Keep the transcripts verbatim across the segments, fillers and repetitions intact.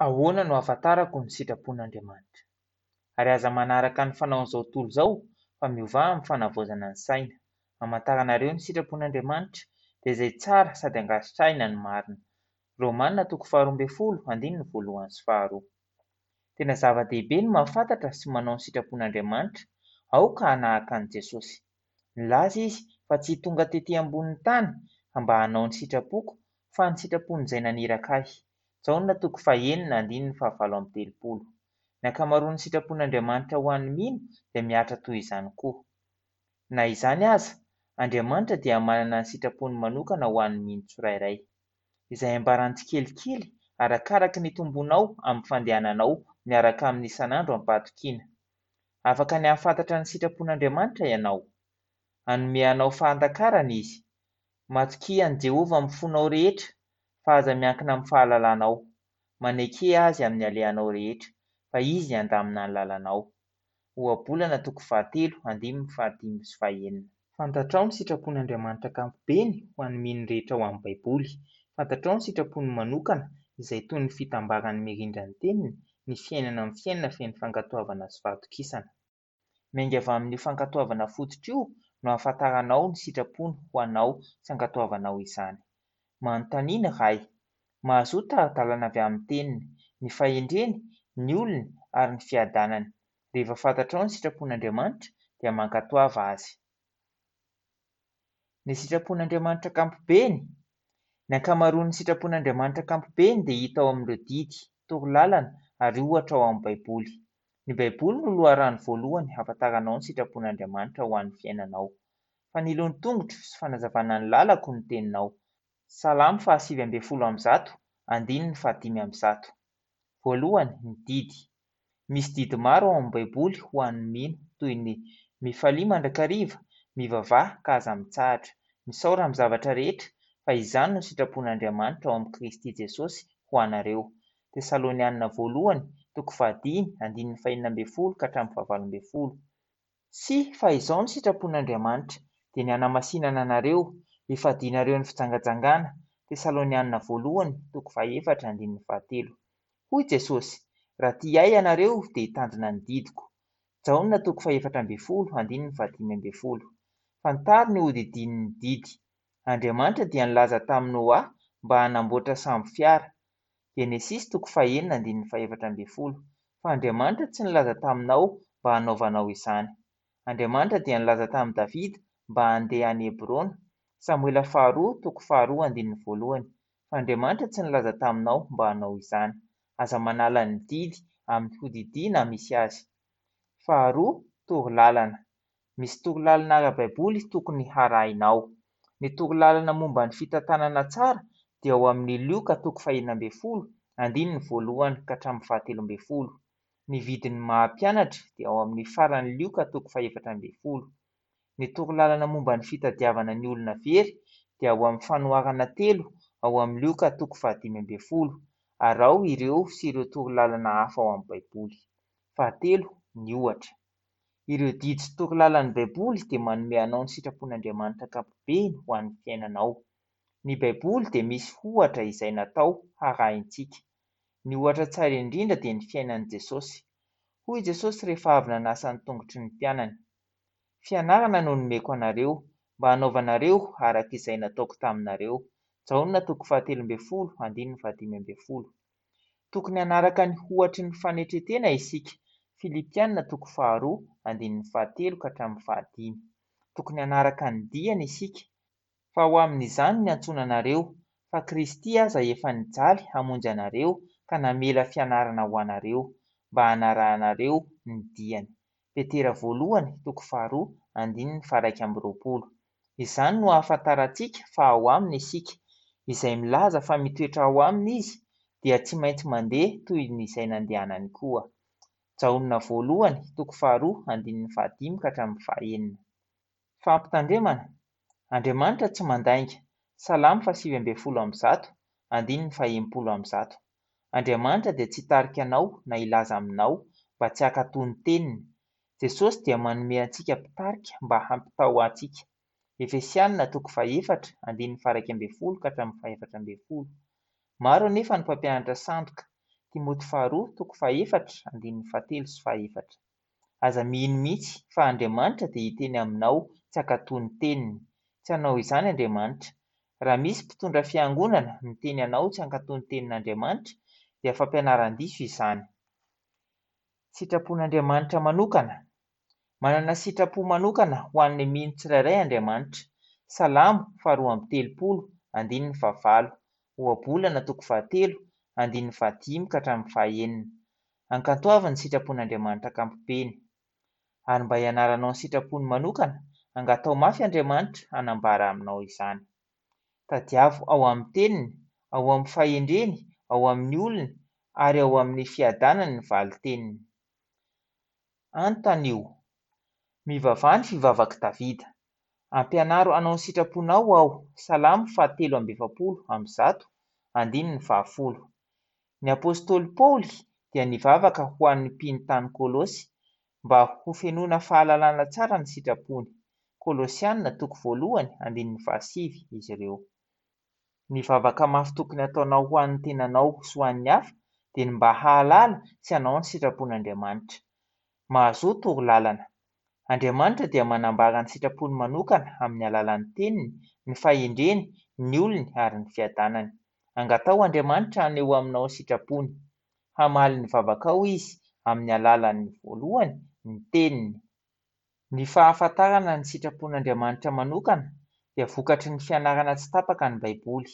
Ahoana no ahafantarako ny sitrapon'Andriamanitra? Ary aza manaraka ny fanaon'izao tontolo izao fa miovà amin'ny fanavaozana ny saina. Hamantaranareo ny sitrapon'Andriamanitra dia izay tsara sady ankasitrahina ny marina. Romana toko faharoa ambin'ny folo andininy voalohany sy faharoa. Tena zava-dehibe ny mahafantatra sy manao ny sitrapon'Andriamanitra. Aoka hanahaka an'i Jesosy. Nilaza izy fa tsy tonga tety ambonin'ny tany mba hanao ny sitrapoko fa ny sitrapon'izay naniraka ahy. Jaona toko fahenina andininy fahavalo amby telopolo. Ny ankamaroan'ny sitrapon'Andriamanitra ho an'ny mino dia mihatra toy izany koa. Na izany aza, Andriamanitra dia manana ny sitrapony manokana ho an'ny mino tsirairay, izay ambarany tsikelikely arakaraka ny itombonao amin'ny fandehananao miaraka aminy isan'andro am-pahatokiana. Afaka ny hahafantatra ny sitrapon'Andriamanitra ianao. Hanome anao fahatakarana Izy. Matokia an'i Jehovah amin'ny fonao rehetra, fa aza miankina amin'ny fahalalanao. Maneke Azy amin'ny alehanao rehetra, fa Izy handamina ny lalanao. Ohabolana toko fahatelo andininy fahadimy sy fahenina. Fantatrao ny sitrapon'Andriamanitra ankapobeny ho an'ny mino rehetra ao amin'ny Baiboly. Fantatrao ny sitrapony manokana izay toy ny fitambaran'ny mirindra ny teniny, ny fiainana amin'ny fiainana feno fankatoavana sy fahatokisana. Miainga avy amin'io fankatoavana fototra io no ahafantaranao ny sitrapony ho anao sy ankatoavanao izany. Manontania ny Ray. Mahazoa tari-dalana avy amin'ny teniny, ny fahendreny, ny olony ary ny fiadanany. Rehefa fantatrao ny sitrapon'Andriamanitra dia mankatoava Azy. Ny sitrapon'Andriamanitra ankapobeny. Ny ankamaroan'ny sitrapon'Andriamanitra ankapobeny dia hita ao amin'ireo didy, torolalana ary ohatra ao amin'ny Baiboly. Ny Baiboly no loharano voalohany ahafantaranao ny sitrapon'Andriamanitra ho an'ny fiainanao. Fanilo ny tongotro sy fanazavana ny lalako ny teninao. Salamo fahasivy ambin'ny folo amby zato, andininy fahadimy amby zato. Voalohany, ny didy. Misy didy maro ao amin'ny Baiboly ho an'ny mino toy ny mifalia mandrakariva, mivavaha ka aza mitsahatra, misaora amin'ny zavatra rehetra fa izany no sitrapon'Andriamanitra ao amin'i Kristy Jesosy ho anareo. Tesalonianina voalohany, toko fahadimy, andininy fahenina ambin'ny folo ka hatramin'ny fahavalo ambin'ny folo. Sy fa izao no sitrapon'Andriamanitra, dia ny hanamasinana anareo, hifadianareo ny fijangajangana. Tesalonianina voalohany, toko fahefatra, andininy fahatelo. Hoy Jesosy, raha tia ahy ianareo dia hitandrina ny didiko. Jaona toko fahefatra ambin'ny folo, andininy fahadimy ambin'ny folo. Fantaro ny hodidinin'ny didy. Andriamanitra dia nilaza tamin'i Noa mba hanamboatra sambo fiara. Genesisy toko fahenina andininy fahefatra ambin'ny folo. Fa Andriamanitra tsy nilaza taminao mba hanaovanao izany. Andriamanitra dia nilaza tamin'i Davida mba handeha any Hebrona. Samoela faharoa toko faharoa andininy voalohany. Fa Andriamanitra tsy nilaza taminao mba hanao izany. Aza manala ny didy amin'ny hodidina misy azy. Faharoa, torolalana. Misy torolalana ara-baiboly tokony harahinao. Ny torolalana momba ny fitantanana tsara dia ao amin'ny Lioka toko fahenina ambin'ny folo, andininy voalohany ka hatramin'ny fahatelo ambin'ny folo. Ny vidin'ny maha-mpianatra dia ao amin'ny faran'ny Lioka toko fahefatra ambin'ny folo. Ny torolalana momba ny fitadiavana ny olona very dia ao amin'ny fanoharana telo ao amin'ny Lioka toko fahadimy ambin'ny folo. Araho ireo sy ireo torolalana hafa ao amin'ny Baiboly. Fahatelo, ny ohatra. Ireo didy sy torolalan'ny Baiboly dia manome anao ny sitrapon'Andriamanitra ankapobeny ho an'ny fiainanao. Ny Baiboly dia misy ohatra izay natao harahintsika. Ny ohatra tsara indrindra dia ny fiainan'i Jesosy. Hoy Jesosy rehefa avy nanasa ny tongotry ny mpianany: Fianarana no nomeko anareo, mba hanaovanareo araka izay nataoko taminareo. Jaona toko fahatelo ambin'ny folo, andininy fahadimy ambin'ny folo. Tokony hanaraka ny ohatry ny fanetren-tena isika. Filipiana toko faharoa, andininy fahatelo ka hatramin'ny fahadimy. Tokony hanaraka ny diany isika. Fa ho amin'izany no niantsoana anareo, fa Kristy aza efa nijaly hamonjy anareo ka namela fianarana ho anareo, mba hanarahanareo ny diany. Petera voalohany, toko faharoa, andininy faharaika amby roapolo. Izany no ahafantarantsika fa ao aminy isika. Izay milaza fa mitoetra ao aminy izy dia tsy maintsy mandeha toy ny izay nandehanany koa. Jaona voalohany, toko faharoa, andininy fahadimy ka hatramin'ny fahenina. Fampitandremana. Andriamanitra tsy mandainga. Salamo fahasivy ambin'ny folo amby zato, andininy fahenimpolo amby zato. Andriamanitra dia tsy hitarika anao na hilaza aminao mba tsy hankatò ny teniny. Jesosy dia manome antsika mpitarika mba hampitao antsika. Efesianina toko fahefatra, andininy faharaika ambin'ny folo ka hatramin'ny fahefatra ambin'ny folo. Maro anefa ny mpampianatra sandoka. Timoty faharoa toko fahefatra andininy fahatelo sy fahefatra. Aza mino mihitsy fa Andriamanitra dia hiteny aminao tsy hankatò ny teniny. Tsy hanao izany Andriamanitra. Raha misy mpitondra fiangonana miteny anao tsy hankatò ny tenin'Andriamanitra dia fampianaran-diso izany. Sitrapon'Andriamanitra manokana. Manana sitrapo manokana ho an'ny mino tsirairay Andriamanitra. Salamo faharoa amby telopolo andininy fahavalo, Ohabolana toko fahatelo andininy fahadimy ka hatramin'ny fahaenina. Ankatoavy ny sitrapon'Andriamanitra ankapobeny. Ary mba hianaranao ny sitrapony manokana, angataho mafy Andriamanitra hanambara aminao izany. Tadiavo ao amin'ny teniny, ao amin'ny fahendreny, ao amin'ny olony ary ao amin'ny fiadanany ny valin-teniny. Anontanio. Mivavaha ny fivavak'i Davida. Ampianaro hanao ny sitraponao aho. Salamo fahatelo amby efapolo amby zato, andininy fahafolo. Ny apostoly Paoly dia nivavaka ho an'ny mpino tany Kolosy mba hofenoina fahalalana tsara ny sitrapony. Kolosiana toko voalohany andininy fahasivy izy ireo. Ny vavaka mafy tokony hataonao ho an'ny tenanao sy ho an'ny hafa dia ny mba hahalala sy hanao ny sitrapon'Andriamanitra. Mahazoa torolalana. Andriamanitra dia manambara ny sitrapony manokana amin'ny alalan'ny teniny, ny fahendreny, ny olony ary ny fiadanany. Angataho Andriamanitra haneho aminao ny sitrapony. Hamaly ny vavakao Izy amin'ny alalan'ny voalohany, ny teniny. Ny fahafantarana ny sitrapon'Andriamanitra manokana dia vokatry ny fianarana tsy tapaka ny Baiboly.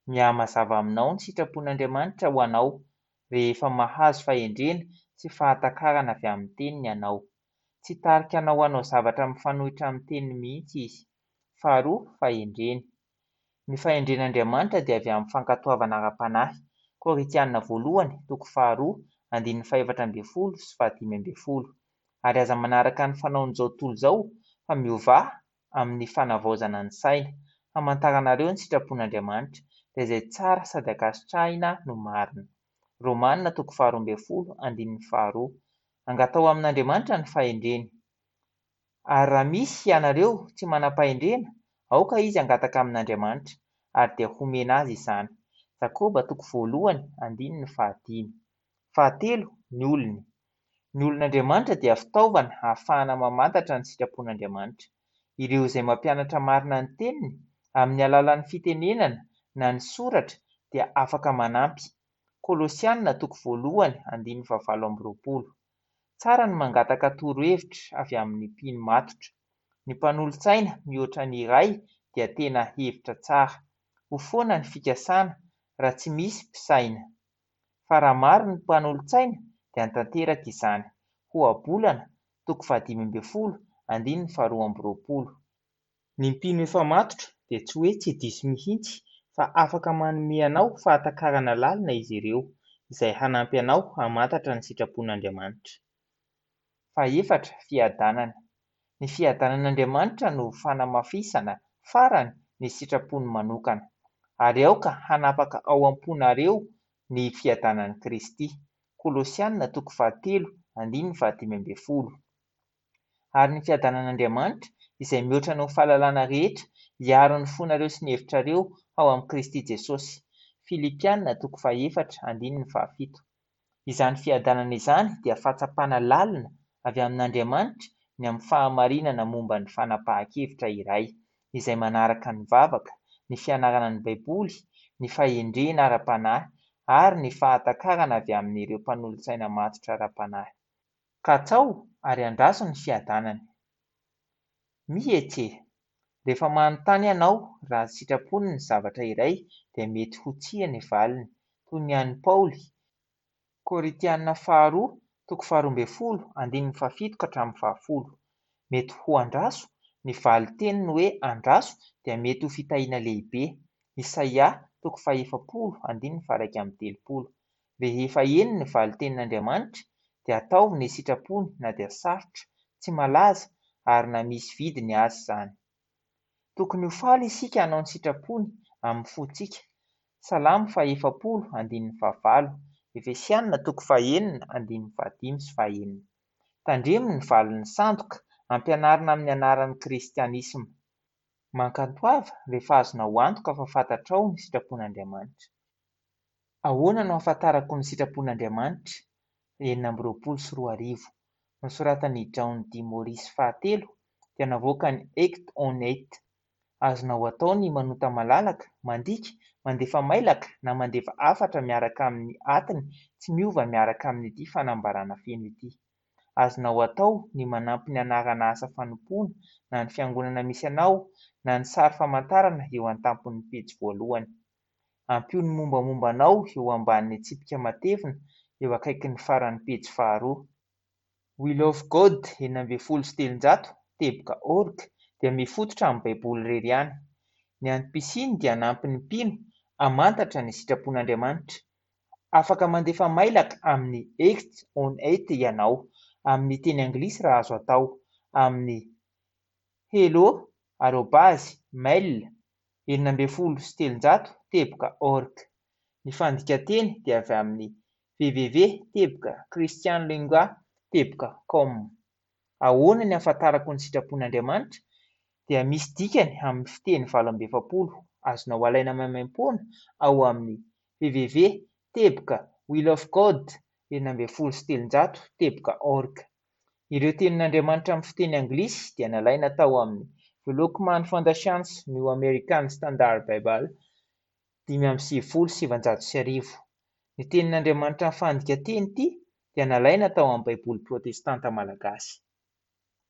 Mihamazava aminao ny sitrapon'Andriamanitra ho anao rehefa mahazo fahendrena sy fahatakarana avy amin'ny teniny ianao. Tsy hitarika anao hanao zavatra mifanohitra amin'ny teniny mihitsy Izy. Faharoa, fahendreny. Ny fahendren'Andriamanitra dia avy amin'ny fankatoavana ara-panahy. Korintiana voalohany, toko faharoa, andininy fahefatra ambin'ny folo sy fahadimy ambin'ny folo. Ary aza manaraka ny fanaon'izao tontolo izao fa miovà amin'ny fanavaozana ny saina, hamantaranareo ny sitrapon'Andriamanitra, dia izay tsara sady ankasitrahina no marina. Romana toko faharoa ambin'ny folo, andininy faharoa. Angataho amin'Andriamanitra ny fahendreny. Ary raha misy ianareo tsy manam-pahendrena, aoka izy hangataka amin'Andriamanitra, ary dia homena azy izany. Jakoba toko voalohany, andininy fahadimy. Fahatelo, ny olony. Ny olon'Andriamanitra dia fitaovana ahafahana mamantatra ny sitrapon'Andriamanitra. Ireo izay mampianatra marina ny teniny amin'ny alalan'ny fitenenana na ny soratra dia afaka manampy. Kolosiana toko voalohany, andininy fahavalo amby roapolo. Tsara ny mangataka torohevitra avy amin'ny mpino matotra. Ny mpanolotsaina mihoatra ny iray dia tena hevitra tsara. Ho foana ny fikasana raha tsy misy mpisaina. Fa raha maro ny mpanolotsaina dia tanteraka izany. Ohabolana toko fahadimy ambin'ny folo, andininy faharoa amby roapolo. Ny mpino efa matotra dia tsy hoe tsy diso mihitsy fa afaka manome anao fahatakarana lalina izy ireo, izay hanampy anao hamantatra ny sitrapon'Andriamanitra. Fahefatra, fiadanana. Ny fiadanan'Andriamanitra no fanamafisana farany ny sitrapony manokana. Ary aoka hanapaka ao am-ponareo ny fiadanan'i Kristy. Kolosiana toko fahatelo, andininy fahadimy ambin'ny folo. Ary ny fiadanan'Andriamanitra, izay mihoatra noho ny fahalalana rehetra, hiaro ny fonareo sy ny hevitrareo ao amin'i Kristy Jesosy. Filipiana toko fahefatra, andininy fahafito. Izany fiadanana izany dia fahatsapana lalina avy amin'Andriamanitra ny amin'ny fahamarinana momba ny fanapahan-kevitra iray, izay manaraka ny vavaka, ny fianarana ny Baiboly, ny fahendrena ara-panahy ary ny fahatakarana avy amin'ireo mpanolotsaina matotra ara-panahy. Katsaho ary andraso ny fiadanany. Mihetse. Rehefa manontany ianao raha sitrapony ny zavatra iray dia mety ho tsia ny valiny, toy ny an'i Paoly. Korintiana faharoa, toko faharoa ambin'ny folo, andininy fahafito ka hatramin'ny fahafolo. Mety ho andraso, ny valin-teniny hoe andraso dia mety ho fitahiana lehibe. Isaia toko fahefapolo, andininy faha-iraika amby telopolo. Rehefa eny ny valin-tenin'Andriamanitra dia ataovy ny sitrapony na dia sarotra, tsy malaza ary na misy vidiny aza izany. Tokony ho faly isika hanao ny sitrapony amin'ny fontsika. Salamo fahefapolo, andininy fahavalo. Efesiana toko fahenina, andininy fahadimy sy fahenina. Tandremo ny valin'ny sandoka ampianarina amin'ny anaran'ny kristianisma. Mankatoava rehefa azonao antoka fa fantatrao ny sitrapon'Andriamanitra. Ahoana no ahafantarako ny sitrapon'Andriamanitra? Enina amby roapolo sy roa arivo. Nosoratan'i John D. Morris fahatelo dia navoakan'ny Eight on Eight. Azonao atao ny manonta malalaka, mandika, mandefa mailaka na mandefa hafatra miaraka amin'ny atiny tsy miova miaraka amin'ity fanambarana feno ity. Azonao atao ny manampy ny anarana asa fanompoana na ny fiangonana misy anao na ny sary famantarana eo an-tampon'ny pejy voalohany. Ampio ny mombamomba anao eo ambanin'ny tsipika matevina eo akaikin'ny faran'ny pejy faharoa. We Love God enina ambin'ny folo sy telonjato teboka org dia mifototra amin'ny Baiboly irery ihany. Ny antom-pisiany dia hanampy ny mpino hamantatra ny sitrapon'Andriamanitra. Afaka mandefa mailaka amin'ny eight on eight ianao, amin'ny teny anglisy raha azo atao, amin'ny hello arobase mail enina ambin'ny folo sy telonjato teboka org. Ny fandikan-teny dia avy amin'ny www teboka christianlingua teboka com. Ahoana ny ahafantarako ny sitrapon'Andriamanitra? Dia misy dikany amin'ny fiteny valo amby efapolo azonao alaina maimaimpoana ao amin'ny www teboka we love god enina ambin'ny folo sy telonjato teboka org. Ireo tenin'Andriamanitra amin'ny fiteny anglisy dia nalaina tao amin'ny The Lockman Foundation's New American Standard Bible dimy amby sivifolo sy sivanjato sy arivo. Ny tenin'Andriamanitra amin'ny fandikan-teny ity dia nalaina tao amin'ny Baiboly protestanta malagasy.